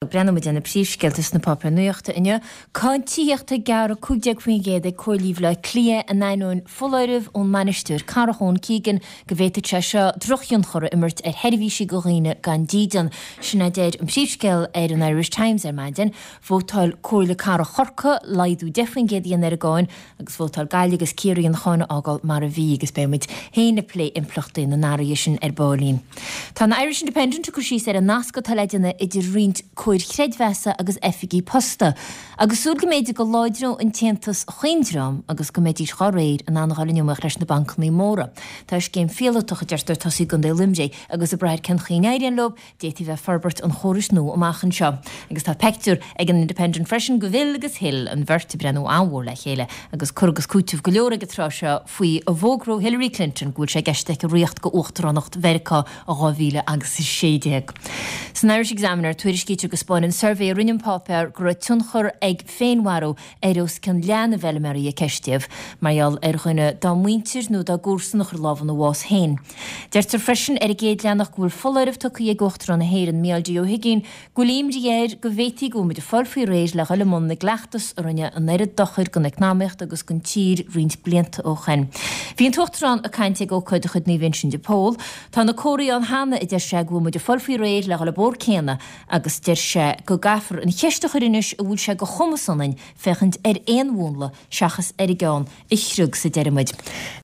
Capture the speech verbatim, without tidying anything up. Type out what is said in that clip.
Breathnóidh muid ar na príomhscéalta sna páipéir nuachta inniu. Cáin tithíochta gearrtha cúig déag faoin gcéad ag Comhairlí Bhaile Átha Cliath in ainneoin foláireamh ón mbainisteoir cathrach Eoin Keegan go bhféadfadh sé seo drochthionchar a imirt ar sheirbhísí do dhaoine gan dídean. Sin a deir an príomhscéal ar an Irish Times ar maidin. Vótáil Comhairle Cathrach Chorcaí laghdú deich faoin gcéad a dhéanamh ar an gcáin agus vótáil Gaillimh agus Ciarraí an cháin a fhágáil mar a bhí agus beidh muid féin ag plé impleachtaí na n-athruithe sin ar baillín. Tá an Irish Independent ag cur síos ar an nasc atá le déanamh idir roinnt comhair chreidmheasa agus oifigí posta, agus súil go mb'fhéidir go láidreodh an t-aontas chaon dream agus go mbeidís dhá réir in ann a dhul in iomaíocht leis na bancannaí móra. Tá scéim phíolótach, a deirtear, tosaithe i gContae Luimnigh agus ag brath ar cén chaoi a n-éiríonn leo, d'fhéadfaí bheith ag forbairt an chórais nua amach anseo. Agus tá peictiúr ag an Independent freisin de Bhill agus Hil, an bheirt ag breathnú an-mhór le chéile agus cur agus cúiteamh go leor ag an tráth seo faoi a bhfógróidh Hillary Clinton go bhfuil sé i gceist aici ritheacht go uachtaránacht Mheiriceá i dhá mhíle agus a sé déag. San Irish Examiner, tuairiscítear go spáineann suirbhé a rinne an páipéar go raibh tionchar ag féinmharú ar os cionn leath na bhfeilméaraí a ceistíodh, mar gheall ar dhuine dá muintir nó dá gcomharsan a chuir lámh ina bhás féin. Deirtear freisin ar an gcéad leathanach go bhfuil foláireamh tugtha ag Uachtarán na hÉireann, Mícheál D. Ó hUigínn, go bhfuil imní air go bhféadfaí go bhfuil muid ag fáil faoi réir le dhul i mbun na gcleachtas a rinne an oiread dochair don eacnamaíocht agus don tír roinnt blianta ó shoin. Bhí an tUachtarán ag caint ag ócáid de chuid Naomh Uinseann de Pól. Tá na comharthaí ann cheana, a deir sé, go bhfuil muid ag fáil faoi réir le dhul an bóthar céanna agus deir sé go gcaithfear an cheist a chur anois an bhfuil sé de chumas ionainn féachaint ar aon mhúnla seachas ar an gceann a chriog sa deireadh muid.